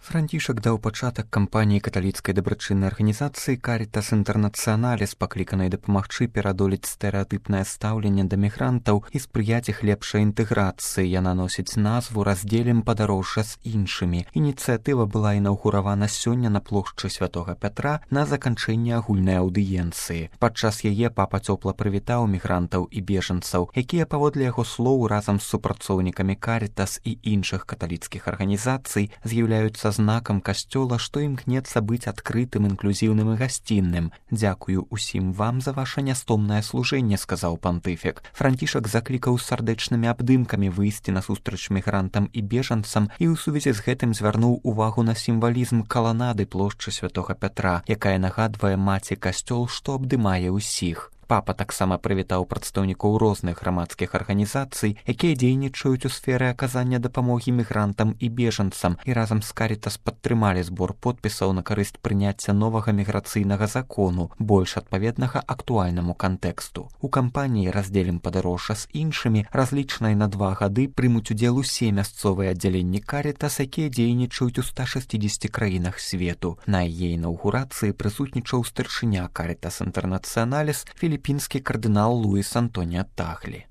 Францішак даў пачатак кампаніі каталіцкай дабрачыннай арганізацыі «Карітас Інтэрнацыяналіс», пакліканай дапамагчы перадолець стэрэатыпнае стаўленне да мігрантаў і спрыяць іх лепшай інтэграцыі. Яна носіць назву «Раздзелім падарожжа з іншымі». Ініцыятыва была інаўгуравана сёння на плошчы Святога Пятра на заканчэнні агульнай аўдыенцыі. Падчас яе папа цёпла прывітаў мігрантаў і бежанцаў, якія, паводле яго слоў, разам з супрацоўнікамі «Карітас» і іншых каталіцкіх арганізацый з'яўляюцца знакам касцёла, што імкнецца быць адкрытым, інклюзіўным і гасцінным. «Дзякую усім вам за ваша нястомнае служэнне», — сказаў пантыфік. Францішак заклікаў сардэчнымі абдымкамі выйсці насустрач мігрантам і бежанцам і ў сувязі з гэтым звярнуў увагу на сімвалізм каланады плошчы Святога Пятра, якая нагадвае маці касцёл, што абдымае ўсіх. Папа таксама прывітаў прадстаўнікоў розных грамадскіх арганізацый, якія дзейнічаюць у сферы аказання дапамогі мігрантам і бежанцам, і разам з «Карітас» падтрымалі збор подпісаў на карысць прыняцця новага міграцыйнага закону, больш адпаведнага актуальнаму кантэксту. У кампаніі «Раздзелім падарожжа з іншымі», разлічанай на 2 гады, прымуць удзел усе мясцовыя аддзяленні «Карітас», якія дзейнічаюць у 160 краінах свету. На яе інаўгурацыі прысутнічаў старшыня «Карітас Інтэрнацыяналіс» філіпінскі кардынал Луіс Антоніа Тахлі.